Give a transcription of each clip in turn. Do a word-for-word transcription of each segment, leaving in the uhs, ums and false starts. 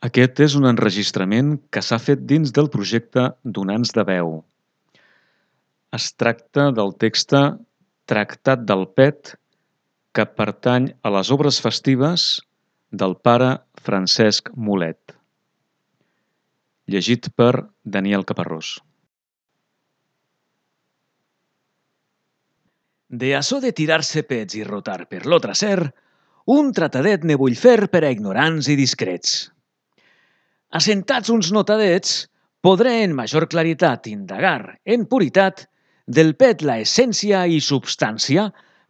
Aquest és un enregistrament que s'ha fet dins del projecte Donants de Veu. Es tracta del text Tractat del Pet, que pertany a les obres festives del pare Francesc Mulet. Llegit per Daniel Caparrós. De açò de tirar-se pets i rotar per lo traser, un tratadet ne vull fer per a ignorants i discrets. Assentats uns notadets, podré en major claritat indagar, en puritat, del pet la essència i substància,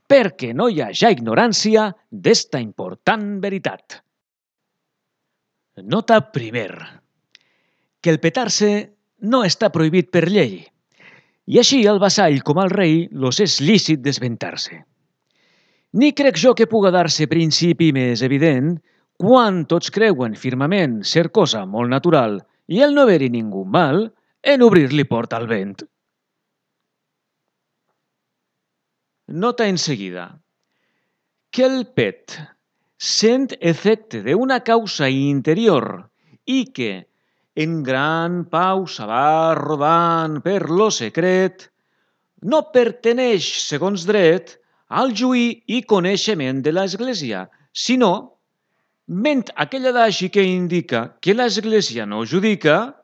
perquè no hi haja ignorància d'esta important veritat. Nota primer. Que el petar-se no està prohibit per llei, i així al vassall com al rei los és lícit desventar-se. Ni crec jo que puga dar-se principi més evident quan tots creuen firmament ser cosa molt natural i el no haver-hi ningú mal en obrir-li porta al vent. Nota en seguida. Que el pet sent efecte d'una causa interior i que en gran pausa va rodant per lo secret, no perteneix, segons dret, al juí i coneixement de l'Església, sinó, ment aquell adagi que indica que l'Església no judica,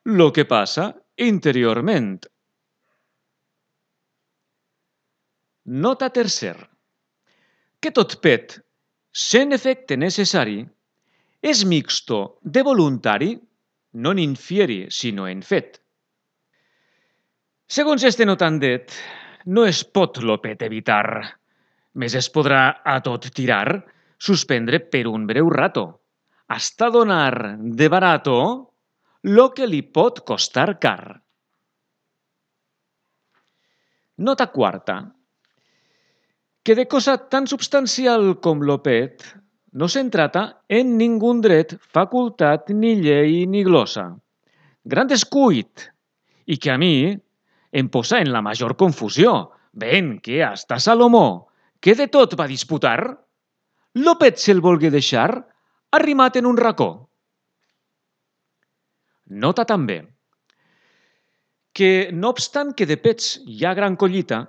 lo que passa interiorment. Nota tercer. Que tot pet, sent efecte necessari, és mixto de voluntari, non in fieri, sinó en fet. Segons este notandet, no es pot lo pet evitar, més es podrà a tot tirar, suspendre per un breu rato, hasta donar de barato lo que li pot costar car. Nota quarta. Que de cosa tan substancial com lo pet no se'n trata en ningun dret, facultat, ni llei, ni glosa. Gran descuit, i que a mi em posa en la major confusió, ben que hasta Salomó, que de tot va disputar, lo pet se'l volgué deixar arrimat en un racó. Nota també que, no obstant que de pets hi ha gran collita,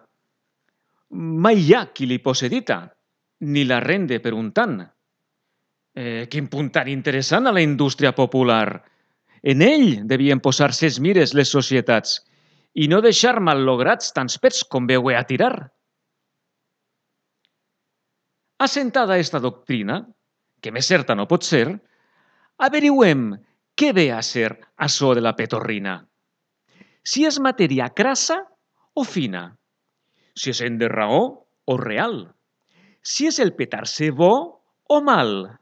mai hi ha qui li possedita, ni la rende per un tant. Eh, quin punt tan interessant a la indústria popular. En ell devien posar ses mires les societats i no deixar mal-lograts tants pets com veu a tirar. Assentada esta doctrina, que més certa no pot ser, averigüem què ve a ser açò de la petorrina. Si és matèria crassa o fina, si és en de raó o real, si és el petar-se bo o mal,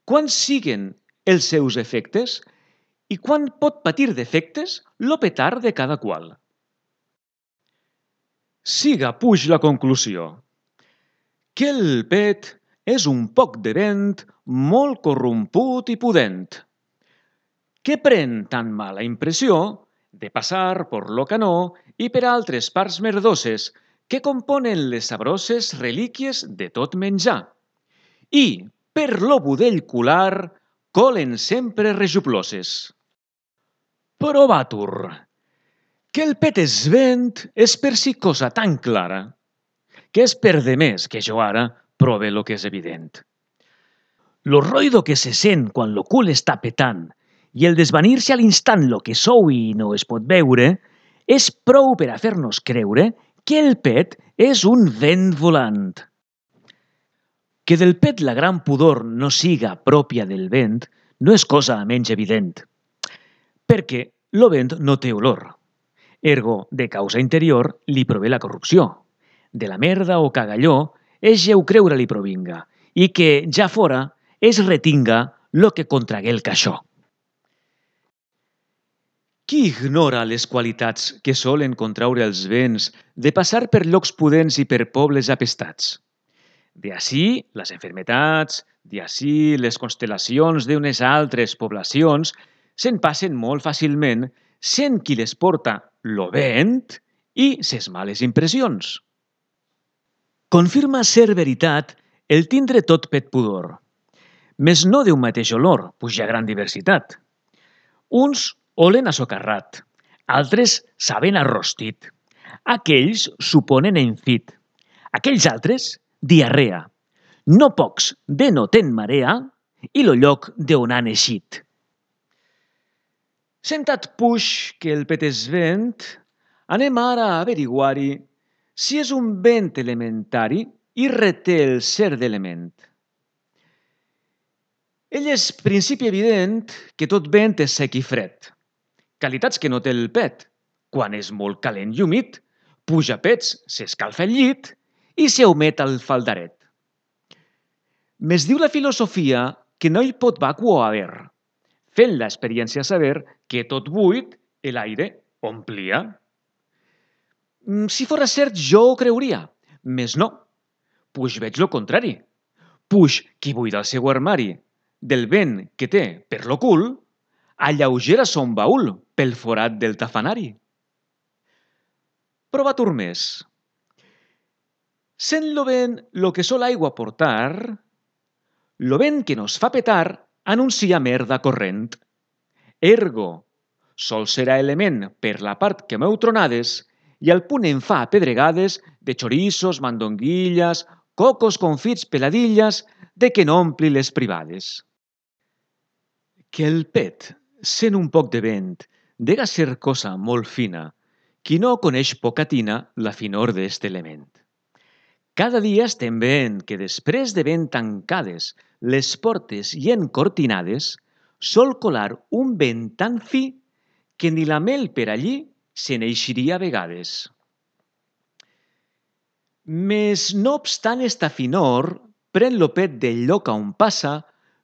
quan siguen els seus efectes i quan pot patir defectes lo petar de cada qual. Siga puix la conclusió, que el pet és un poc de vent molt corromput i pudent, que pren tan mala impressió de passar per lo canó i per altres parts merdoses que componen les sabroses relíquies de tot menjar, i per lo budell cular colen sempre rejuploses. Però vatur, que el pet és vent és per si cosa tan clara, que és per demés que jo ara prove lo que és evident. Lo roïdo que se sent quan lo cul està petant i el desvanir-se a l'instant lo que sou i no es pot veure, és prou per a fer-nos creure que el pet és un vent volant. Que del pet la gran pudor no siga pròpia del vent no és cosa menys evident, perquè lo vent no té olor. Ergo, de causa interior, li prové la corrupció. De la merda o cagalló és lleu creure li provinga, i que, ja fora, es retinga lo que contragué el caixó. Qui ignora les qualitats que solen contraure els vents de passar per llocs pudents i per pobles apestats? De ací les enfermetats, de ací les constel·lacions d'unes altres poblacions se'n passen molt fàcilment sent qui les porta lo vent i ses males impressions. Confirma ser veritat el tindre tot pet pudor, Mes no d'un mateix olor, pues hi ha gran diversitat. Uns olen assocarrat, altres saben arrostit, aquells suponen enfit, aquells altres diarrea, no pocs denoten marea i lo lloc d'on han eixit. Sentat puix que el pet és vent, anem ara a averiguar-hi si és un vent elementari i reté el cert d'element. Ell és principi evident que tot vent és sec i fred, qualitats que no té el pet. Quan és molt calent i humit, puja pets, s'escalfa el llit i s'humet al faldaret. Mes diu la filosofia que no hi pot vacuo haver, fent l'experiència saber que tot buit l'aire omplia. Si fora cert, jo ho creuria, mes no, puix veig lo contrari. Puix qui buida el seu armari del vent que té per lo cul, alleugera son baúl pel forat del tafanari. Prova turmés. Sent lo vent lo que sol aigua portar, lo vent que nos fa petar anuncia merda corrent. Ergo, sol serà element per la part que m'heu tronades i al punt em fa pedregades de chorizos, mandonguillas, cocos confits, peladillas, de que n'ompli les privades. Que el pet, sent un poc de vent, dega ser cosa molt fina, qui no coneix pocatina la finor d'est element. Cada dia estem veient que després de ben tancades les portes i encortinades, sol colar un vent tan fi que ni la mel per allí se n'eixiria a vegades. Mes no obstant esta finor, pren lo pet del lloc on passa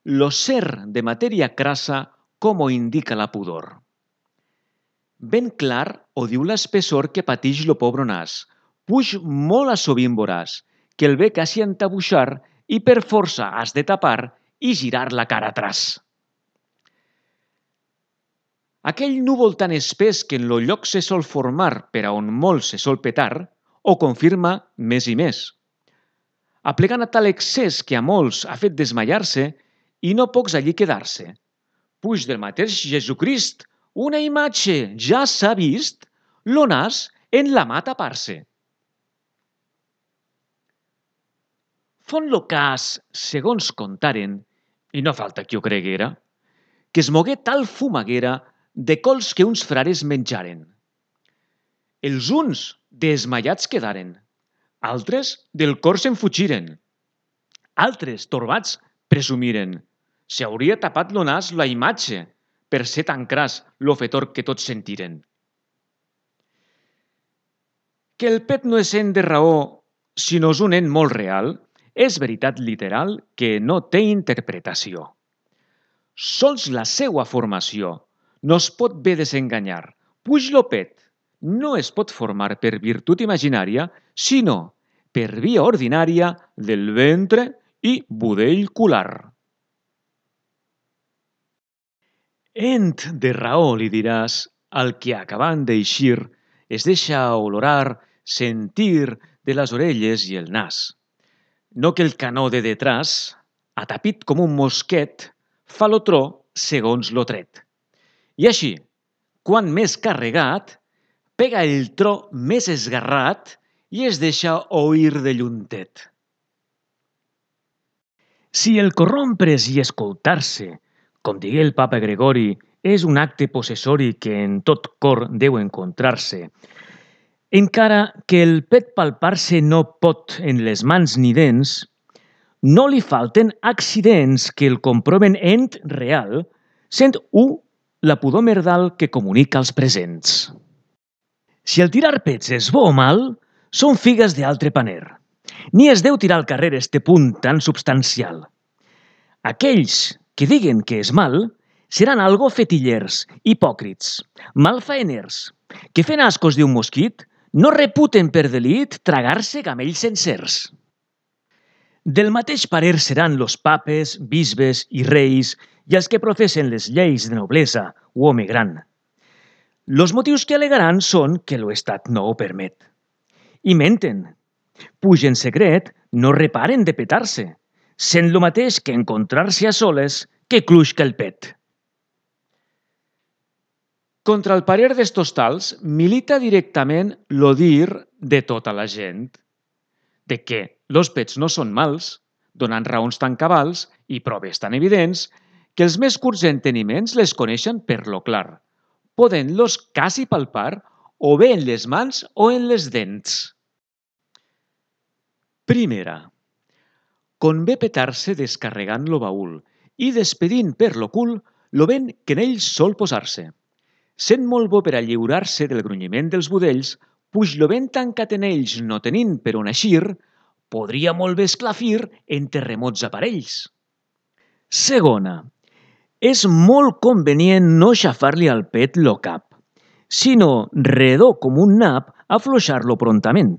lo ser de matèria crassa com ho indica la pudor. Ben clar ho diu l'espessor que patix lo pobre nas, puix molt a sovint voràs, que el ve quasi entabuixar i per força has de tapar i girar la cara atràs. Aquell núvol tan espès que en lo lloc se sol formar per a on molt se sol petar, ho confirma més i més. Aplegant a tal excés que a molts ha fet desmaiar-se i no pocs allí quedar-se. Puix del mateix Jesucrist, una imatge ja s'ha vist, lo nas en la mà tapar-se. Font lo cas, segons contaren, i no falta qui ho creguera, que es mogué tal fumaguera de cols que uns frares menjaren. Els uns desmaiats quedaren, altres del cor se'n fugiren, altres, torbats, presumiren. S'hauria tapat lo nas la imatge per ser tan cras lo fetor que tots sentiren. Que el pet no és ent de raó, sinó és un ent molt real, és veritat literal que no té interpretació. Sols la seua formació no es pot bé desenganyar, puix lo pet no es pot formar per virtut imaginària, sinó per via ordinària del ventre i budell cular. Ent de raó li diràs al que acabant d'eixir es deixa olorar, sentir de les orelles i el nas. No que el canó de detràs, atapit com un mosquet, fa lo tro segons lo tret. I així, quan més carregat, pega el tro més esgarrat i es deixa oir de lluntet. Si el corrompres i escoltar-se, com digué el papa Gregori, és un acte possessori que en tot cor deu encontrar-se, encara que el pet palpar-se no pot en les mans ni dents, no li falten accidents que el comproven ent real, sent u la pudor merdal que comunica als presents. Si el tirar pets és bo o mal, són figues d'altre paner. Ni es deu tirar al carrer este punt tan substancial. Aquells que diguen que és mal seran algo fetillers, hipòcrits, malfaeners, que fent ascos d'un mosquit no reputen per delit tragar-se camells sencers. Del mateix parer seran los papes, bisbes i reis i els que professen les lleis de noblesa o home gran. Los motius que alegaran són que l'Estat no ho permet. I menten. Puix en secret, no reparen de petar-se. sent lo mateix que encontrar-se a soles que clusca el pet. Contra el parer d'estos tals, milita directament lo dir de tota la gent, de que los pets no són mals, donant raons tan cabals i proves tan evidents que els més curts enteniments les coneixen per lo clar, podent-los quasi palpar o bé en les mans o en les dents. Primera. Convé petar-se descarregant lo baúl i despedint per lo cul lo vent que en ell sol posar-se. Sent molt bo per a lliurar-se del grunyiment dels budells, puix lo vent tancat en ells no tenint per on eixir, podria molt bé esclafir en terremots aparells. Segona. És molt convenient no xafar-li al pet lo cap, sinó, redó com un nap, afluixar-lo prontament.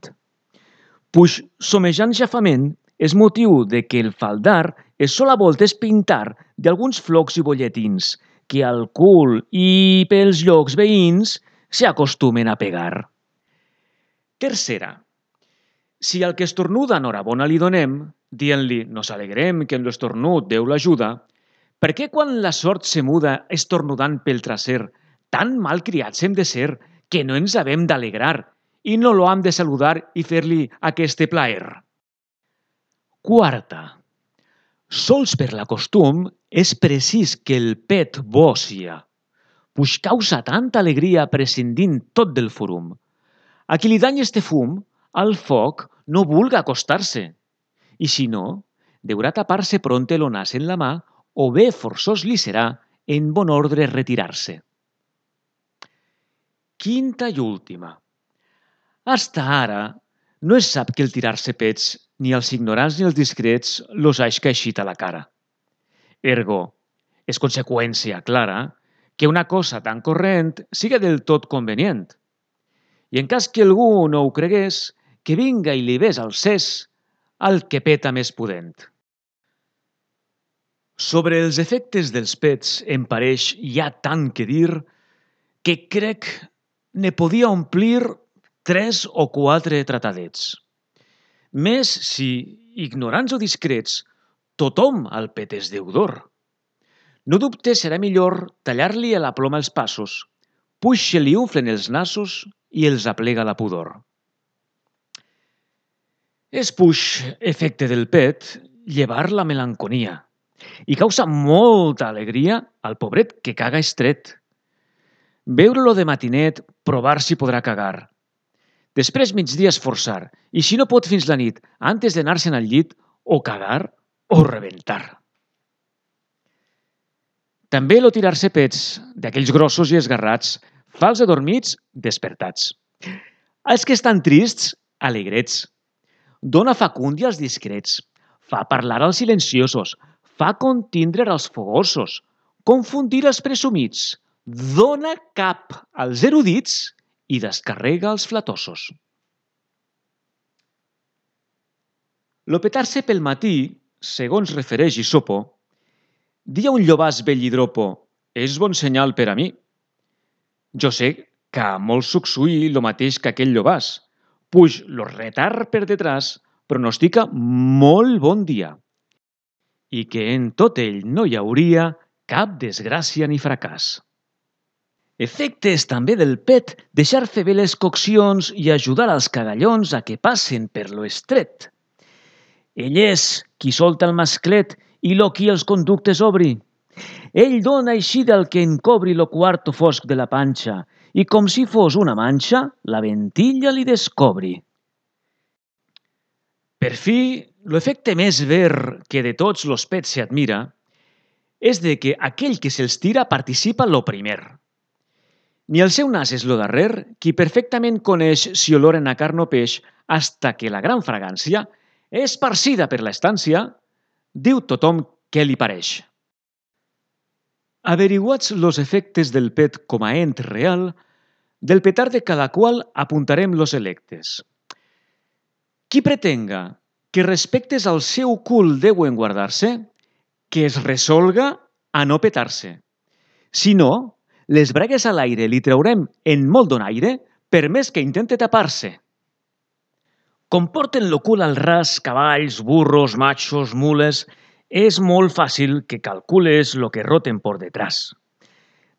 Puix somejant xafament és motiu de que el faldar es sol a voltes pintar d'alguns flocs i bolletins que al cul i pels llocs veïns s'acostumen a pegar. Tercera. Si al que estornuda enhorabona li donem, dient-li nos alegrem que en l'estornut Déu l'ajuda, per què quan la sort se muda estornudant pel traser, tan mal criats hem de ser que no ens havem d'alegrar i no lo hem de saludar i fer-li aquest plaer? Quarta. Sols per la costum és precís que el pet bo sia, puix causa tanta alegria prescindint tot del forum. A qui li dany este fum, al foc no vulga acostar-se, i si no, deurà tapar-se pronte lo nas en la mà o bé forçós li serà en bon ordre retirar-se. Quinta i última. Hasta ara no es sap que el tirar-se pets ni als ignorants ni als discrets los haix caixit a la cara. Ergo, és conseqüència clara que una cosa tan corrent siga del tot convenient. I en cas que algú no ho cregués, que vinga i li ves al cés al que peta més pudent. Sobre els efectes dels pets em pareix hi ha tant que dir que crec ne podia omplir tres o quatre tratadets. Més si, ignorants o discrets, tothom al pet és deudor. No dubte serà millor tallar-li a la ploma els passos, puix se li unflen els nassos i els aplega la pudor. És puix efecte del pet llevar la melanconia i causa molta alegria al pobret que caga estret. Veure-lo de matinet, provar si podrà cagar. Després migdia esforçar i si no pot fins la nit, antes d'anar-se'n al llit, o cagar o rebentar. També lo tirar-se pets, d'aquells grossos i esgarrats, fa els adormits despertats. Els que estan trists, alegrets. Dona facúndia als discrets, fa parlar als silenciosos, fa contindre als fogosos, confundir els presumits, dona cap als erudits i descarrega els flatosos. Lo petar-se pel matí, segons refereix Isopo, dia un llobàs vell i dropo, és bon senyal per a mi. Jo sé que a molt sucsui lo mateix que aquell llobàs, puix lo retard per detrás pronostica molt bon dia i que en tot ell no hi hauria cap desgràcia ni fracàs. Efectes també del pet deixar fer bé les coccions i ajudar als cagallons a que passen per lo estret. Ell és qui solta el masclet i lo qui els conductes obri. Ell dona així del que encobri lo quarto fosc de la panxa i com si fos una manxa, la ventilla li descobri. Per fi, l'efecte més ver que de tots los pets s'admira és de que aquell que se'ls tira participa lo primer. Ni el seu nas és lo darrer, qui perfectament coneix si oloren a carn o peix hasta que la gran fragància, esparcida per l'estància, diu tothom què li pareix. Averiguats los efectes del pet com a ent real, del petar de cada qual apuntarem los electes. Qui pretenga que respectes al seu cul deuen guardar-se, que es resolga a no petar-se. Si no, les bragues a l'aire li traurem en molt donaire per més que intente tapar-se. Com porten lo cul al ras cavalls, burros, machos, mules, és molt fàcil que calcules lo que roten por detrás.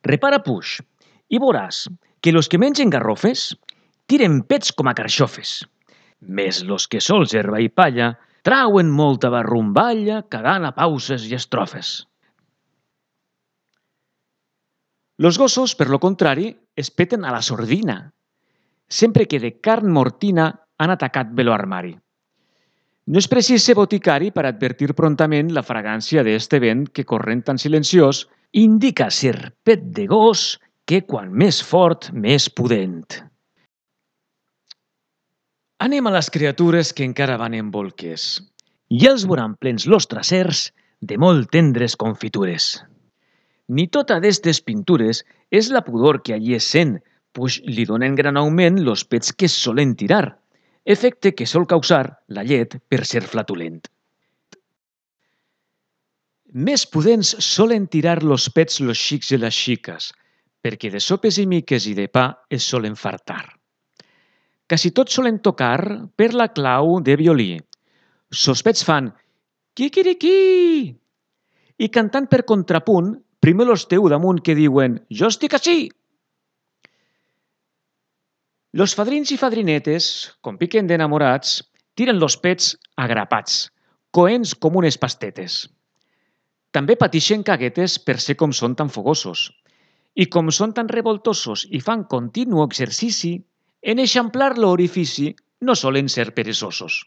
Repara, puix, i veuràs que los que mengen garrofes tiren pets com a carxofes, més los que sols herba i palla trauen molta barrumballa cagant a pauses i estrofes. Los gossos, per lo contrari, es peten a la sordina, sempre que de carn mortina han atacat bé lo armari. No és precís ser boticari per advertir prontament la fragància d'este vent que, corrent tan silenciós, indica ser pet de gos que quan més fort, més pudent. Anem a les criatures que encara van en bolques. I els veuran plens los trasers de molt tendres confitures. Ni tota d'estes pintures és la pudor que allí es sent, pues li donen gran augment los pets que es solen tirar, efecte que sol causar la llet per ser flatulent. Més pudents solen tirar los pets los xics i les xiques, perquè de sopes i miques i de pa es solen fartar. Quasi tots solen tocar per la clau de violí. Sos pets fan quiquiriquí i cantant per contrapunt, primer los teu damunt que diuen «Jo estic ací!». Los fadrins i fadrinetes, com piquen d'enamorats, tiren los pets agrapats, coents com unes pastetes. També patixen caguetes per ser com són tan fogosos. I com són tan revoltosos i fan continu exercici, en eixamplar l'orifici no solen ser peresosos.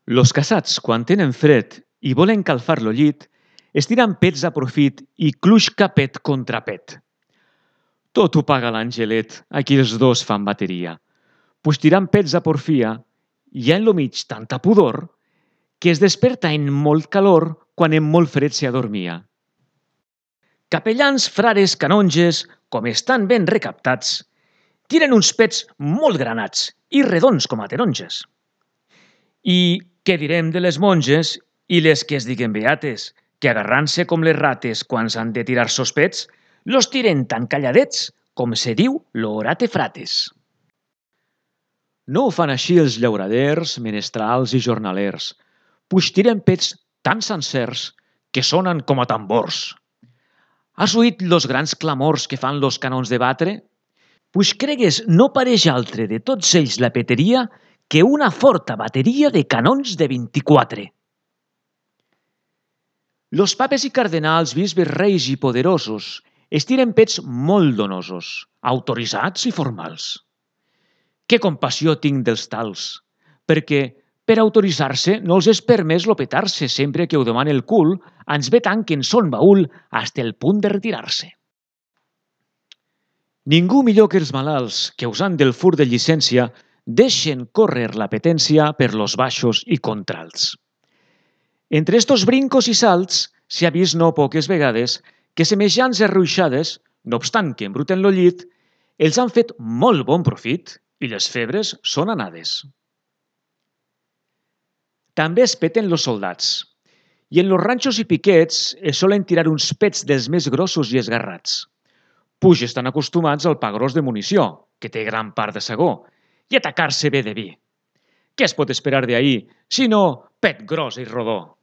Los casats, quan tenen fred i volen calfar lo llit, estiran pets a profit i cluixca pet contra pet. Tot ho paga l'angelet, aquí els dos fan bateria, pues tirant pets a porfia hi ha en lo mig tanta pudor que es desperta en molt calor quan en molt fred se adormia. Capellans, frares, canonges, com estan ben recaptats, tiren uns pets molt granats i redons com a taronges. I què direm de les monges i les que es diguen beates, que agarrant-se com les rates quan s'han de tirar sos pets, los tiren tan calladets com se diu l'orate frates. No ho fan així els llauraders, menestrals i jornalers, pues tiren pets tan sencers que sonen com a tambors. Has oït los grans clamors que fan los canons de batre? Pues cregues no pareix altre de tots ells la peteria que una forta bateria de canons de vint-i-quatre. Los papes i cardenals, bisbes, reis i poderosos estiren pets molt donosos, autoritzats i formals. Que compassió tinc dels tals, perquè per autoritzar-se no els és permès lopetar-se sempre que ho demana el cul, ans ve tant que en son baúl hasta el punt de retirar-se. Ningú millor que els malalts que, usant del fur de llicència, deixen córrer la petència per los baixos i contralts. Entre estos brincos i salts s'hi ha vist no poques vegades que semejants arruixades, no obstant que embruten lo llit, els han fet molt bon profit i les febres són anades. També es peten los soldats, i en los ranxos i piquets es solen tirar uns pets dels més grossos i esgarrats. Puix estan acostumats al pa gros de munició, que té gran part de sagó, i atacar-se bé de vi. Què es pot esperar d'ahir, sinó pet gros i rodó?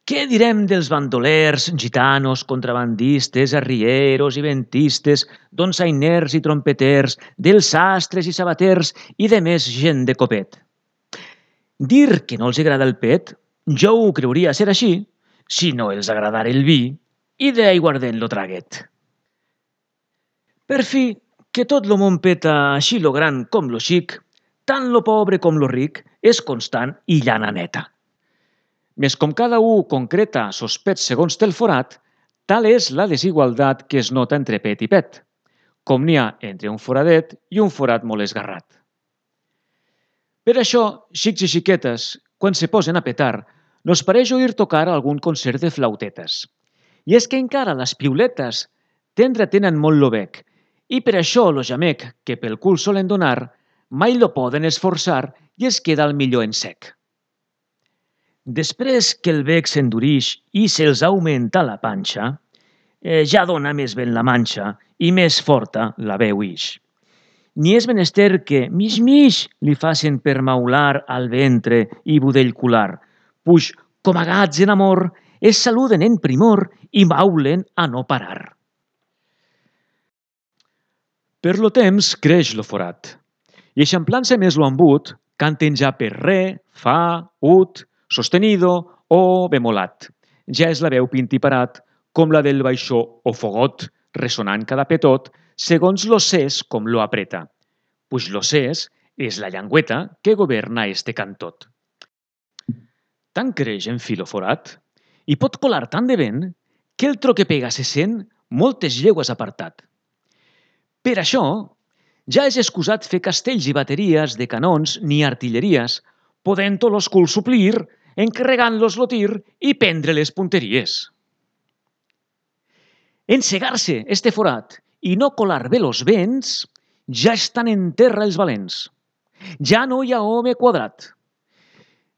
Què direm dels bandolers, gitanos, contrabandistes, arrieros i ventistes, donsainers i trompeters, dels sastres i sabaters i de més gent de copet? Dir que no els agrada el pet, jo ho creuria ser així, si no els agradara el vi i d'aiguardent lo traguet. Per fi, que tot lo món peta així lo gran com lo xic, tant lo pobre com lo ric, és constant i llana neta. Més com cada u concreta sos pets segons té el forat, tal és la desigualtat que es nota entre pet i pet, com n'hi ha entre un foradet i un forat molt esgarrat. Per això, xics i xiquetes, quan se posen a petar, nos pareix oir tocar algun concert de flautetes. I és que encara les piuletes tendre tenen molt lo bec, i per això lo jamec que pel cul solen donar mai lo poden esforçar i es queda al millor en sec. Després que el bec s'endurix i se'ls augmenta la panxa, eh, ja dona més ben la manxa i més forta la veu ix. ni és menester que mig-mig li facin per maular al ventre i budell cular, puix, com a gats en amor, es saluden en primor i maulen a no parar. Per lo temps creix lo forat, i eixamplant-se més lo embut, canten ja per re, fa, ut, sostenido o bemolat. Ja és la veu pintiparat, com la del baixó o fogot, ressonant cada petot, segons lo ses com lo apreta. Puix lo ses és la llengüeta que governa este cantot. Tant creix en filo forat i pot colar tant de vent que el tro que pega se sent moltes llegües apartat. Per això, ja és excusat fer castells i bateries de canons ni artilleries, podent-ho los culs suplir, encarregant-los lo tir i prendre les punteries. Encegar-se este forat i no colar bé los vents, ja estan en terra els valents. Ja no hi ha home quadrat.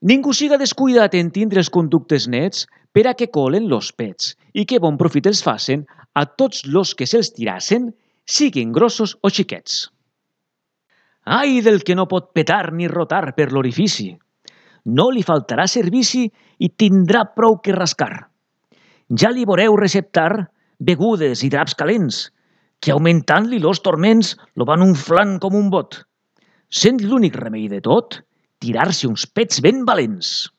Ningú siga descuidat en tindre els conductes nets per a que colen los pets i que bon profit els facen a tots los que se'ls tirassen, siguin grossos o xiquets. Ai del que no pot petar ni rotar per l'orifici. No li faltarà servici i tindrà prou que rascar. Ja li veureu receptar begudes i draps calents, que augmentant-li los torments lo van unflant com un bot. Sent l'únic remei de tot, tirar-se uns pets ben valents.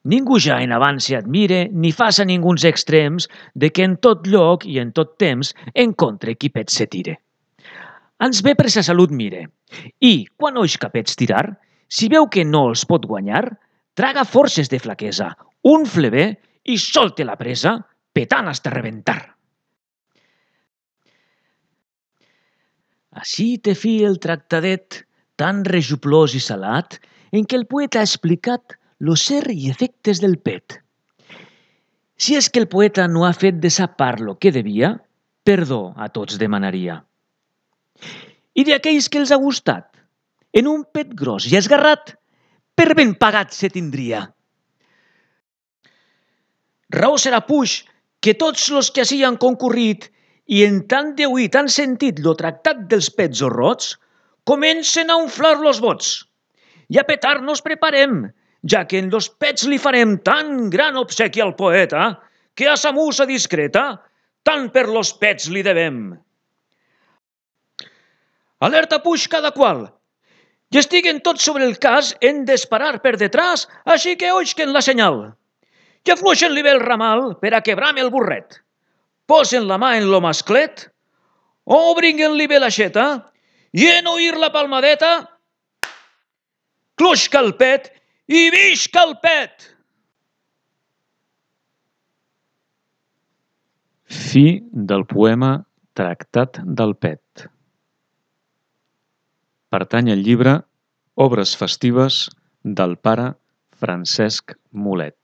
Ningú ja en avant se admire ni faça ninguns extrems de que en tot lloc i en tot temps encontre qui pets se tire. Ans bé per sa salut mire, i, quan oix capets tirar, si veu que no els pot guanyar, traga forces de flaquesa, unfle bé i solte la presa, petant hasta reventar. Així té fi el tractadet tan rejuplós i salat en què el poeta ha explicat lo ser i efectes del pet. Si és que el poeta no ha fet de sa part lo que devia, perdó a tots demanaria. I d'aquells que els ha gustat, en un pet gros i esgarrat, per ben pagat se tindria. Raó serà, puix, que tots los que ací han concurrit i en tant deuit han sentit lo tractat dels pets horrots, comencen a unflar los bots. I a petar nos preparem, ja que en los pets li farem tan gran obsequi al poeta, que a sa musa discreta, tant per los pets li devem. Alerta, puix, cada qual. I estiguen tots sobre el cas en disparar per detrás, així que oixquen la senyal. I afluixen-li bé el ramal per a quebrar-me el burret. Posen la mà en lo masclet, obrin-li bé l'aixeta, i en oir la palmadeta, cloixca el pet i visca el pet! Fi del poema Tractat del pet. Pertany al llibre Obres festives del pare Francesc Mulet.